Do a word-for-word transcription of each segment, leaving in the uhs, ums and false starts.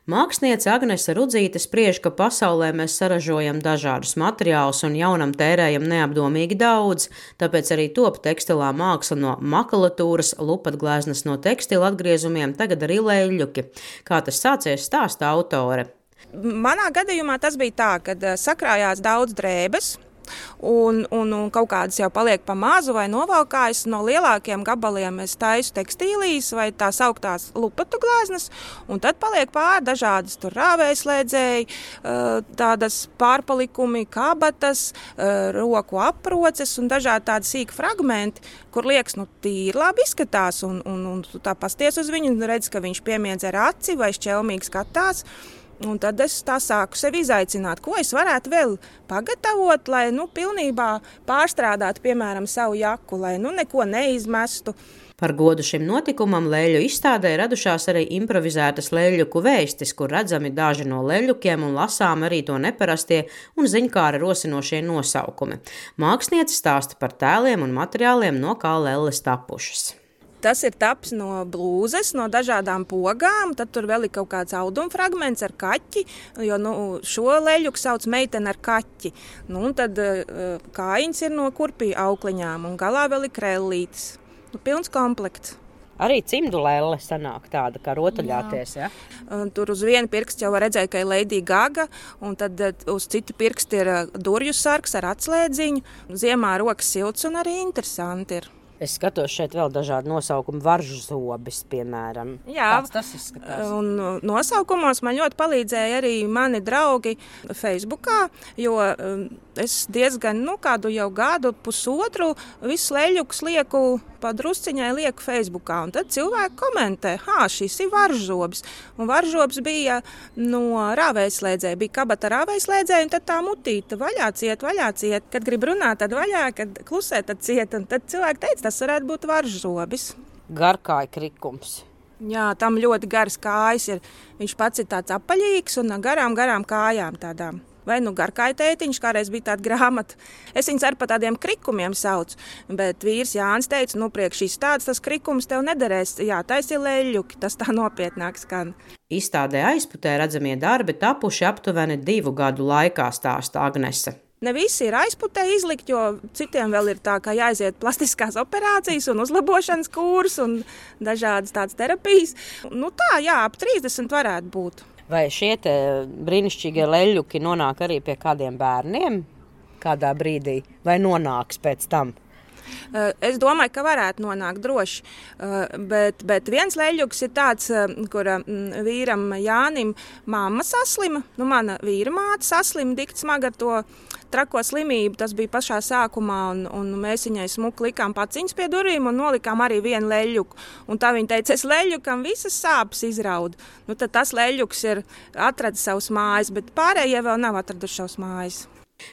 Māksliniece Agnese Rudzīte spriež, ka pasaulē mēs saražojam dažādus materiālus un jaunam tērējam neapdomīgi daudz, tāpēc arī top tekstilā māksla no makulatūras, lupatgleznas no tekstila atgriezumiem, tagad arī leļļuki. Kā tas sācies, stāsta autore. Manā gadījumā tas bija tā, kad sakrājās daudz drēbes. Un, un, un kaut kādas jau paliek pa mazu vai novalkājas. No lielākiem gabaliem es taisu tekstīlijas vai tās augtās lupatu gleznas, un tad paliek pāri dažādas tur rāvējslēdzēji, tādas pārpalikumi, kabatas, roku aproces un dažādi tādi sīki fragmenti, kur liekas, nu tīri labi izskatās, un, un, un tu tā pasties uz viņu un redz, ka viņš piemiedz ar aci vai šķelmīgi skatās. Un tad es tā sāku sevi izaicināt, ko es varētu vēl pagatavot, lai nu, pilnībā pārstrādātu, piemēram, savu jaku, lai nu, neko neizmestu. Par godu šim notikumam leļļu izstādē radušās arī improvizētas leļļuku vēstis, kur redzami daži no leļļukiem un lasām arī to neparastie un ziņkāra rosinošie nosaukumi. Māksliniece stāsta par tēliem un materiāliem, no kā lelles tapušas. Tas ir taps no blūzes, no dažādām pogām, tad tur vēl ir kaut kāds auduma fragments ar kaķi, jo nu, šo leļļuku sauc meiteni ar kaķi. Nu, un tad uh, kājiņas ir no kurpiju aukliņām un galā vēl ir krellītes. Nu, pilns komplekts. Arī cimdu lelle sanāk tāda, kā rotaļāties, ja? Tur uz vienu pirkstu jau var redzēt, ka ir Lady Gaga, un tad uz citu pirkstu ir durju sargs ar atslēdziņu. Ziemā rokas silts un arī interesanti ir. Es skatos šeit vēl dažādi nosaukumi, varžu zobis, piemēram. Jā, Tāds tas izskatās. Un nosaukumos man ļoti palīdzēja arī mani draugi Facebookā, jo es diezgan, nu, kādu jau gadu, pusotru, visu leļļukus lieku pa drusciņai lieku Facebookā. Un tad cilvēki komentē, hā, šis ir varžzobis. Un varžzobis bija no rāvējslēdzēja, bija kabata rāvējslēdzēja, un tad tā mutīta vaļā ciet, vaļā ciet. Kad grib runāt, tad vaļā, kad klusē, tad ciet. Un tad cilvēki teica, tas varētu būt varžzobis. Garkāja krikums. Jā, tam ļoti garas kājas ir. Viņš pats ir tāds apaļīgs un garām, garām kājām tādām. Vai nu garkāja tētiņš, kādreiz bija tāda grāmata. Es viņus ar pa tādiem krikumiem saucu, bet vīrs Jānis teica, nu priekš šīs tāds, tas krikums tev nederēs. Jā, tais ir leļļuki, tas tā nopietnāk skan. Izstādē aizputē redzamie darbi tapuši aptuveni divu gadu laikā, stāsta Agnese. Ne visi ir aizputē izlikt, jo citiem vēl ir tā, kā jāiziet plastiskās operācijas un uzlabošanas kurs un dažādas tādas terapijas. Nu tā, jā, ap trīsdesmit varētu būt. Vai šie te brīnišķīgie leļļuki nonāk arī pie kādiem bērniem kādā brīdī, vai nonāks pēc tam? Es domāju, ka varētu nonākt droši, bet, bet viens leļļuks ir tāds, kur vīram Jānim mamma saslima, nu mana vīra māte saslima dikti smagi ar to trako slimību, tas bija pašā sākumā, un, un mēs viņai smuki likām paciņas pie durvīm un nolikām arī vienu leļļuku. Un tā viņa teica, es leļļukam visas sāpes izraudu. Nu tad tas leļļuks ir atradis savus mājas, bet pārējie vēl nav atraduši savus mājas.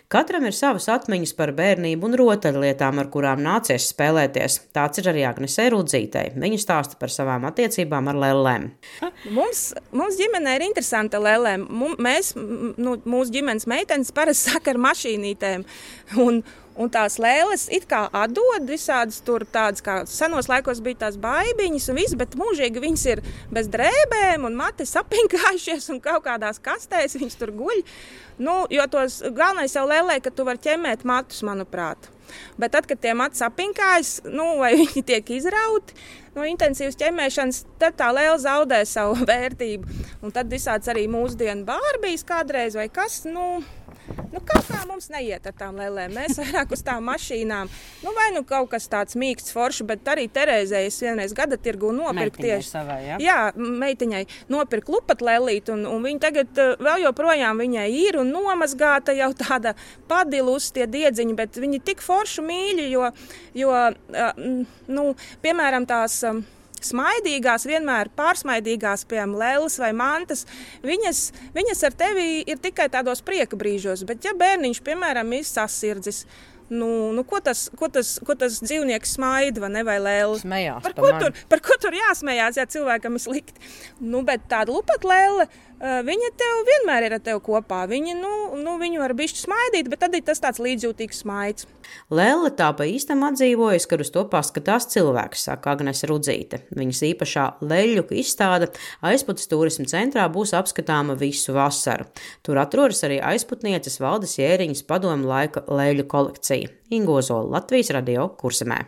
Katram ir savas atmiņas par bērnību un rotaļlietām, ar kurām nācies spēlēties. Tāds ir arī Agnesei Rudzītei. Viņa stāsta par savām attiecībām ar lellēm. Mums, mums ģimenē ir interesanta lellēm. Mēs, nu, mūsu ģimenes meitenes parasti saka ar mašīnītēm. Un, un tās lēles it kā atdod visādas tur tādas, kā senos laikos bija tās baibiņas un viss, bet mūžīgi viņas ir bez drēbēm un mati sapinkājušies un kaut kādās kastēs viņas tur guļ. Nu, jo tos galvenais jau lēlē, ka tu vari ķemmēt matus, manuprāt. Bet tad, kad tie mati sapinkājas, nu, vai viņi tiek izrauti no intensīvas ķemmēšanas, tad tā lēle zaudē savu vērtību. Un tad visāds arī mūsdienu bārbijas kādreiz vai kas, nu... Nu, kaut kā mums neiet ar tām lēlēm. Mēs vairāk uz tām mašīnām. Nu, vai nu kaut kas tāds mīksts forši, bet arī Terēzei es vienreiz gada tirgu nopirku tieši. Savai, ja? Jā, meitiņai nopirku lupat lēlīt, un, un viņa tagad vēl joprojām viņai ir un nomazgāta jau tāda padilus tie diedziņi, bet viņi tik foršu mīļi, jo, jo nu, piemēram tās... smaidīgās, vienmēr pārsmaidīgās, piemēram, lēles vai mantas, viņas, viņas ar tevi ir tikai tādos prieka brīžos, bet ja bērniņš, piemēram, ir sasirdzis, nu, nu ko, tas, ko, tas, ko tas dzīvnieks smaida vai ne, vai lēle? Smējās par, pa ko mani. tur, par ko tur jāsmējās, ja cilvēkam ir slikti? Nu, bet tāda lupatlēle, viņa tev vienmēr ir ar tevi kopā. Viņa, nu, nu, viņu var bišķi smaidīt, bet tad ir tas tāds līdzjūtīgs smaids. Lēle tā pa īstam atdzīvojas, kad uz to paskatās cilvēks, saka Agnese Rudzīte. Viņas īpašā leļļuka izstāde Aizputes turisma centrā būs apskatāma visu vasaru. Tur atrodas arī aizputnieces Valdes Jēriņas padomu laika leļļu kolekcija. Inga Ozola, Latvijas Radio, Kurzemē.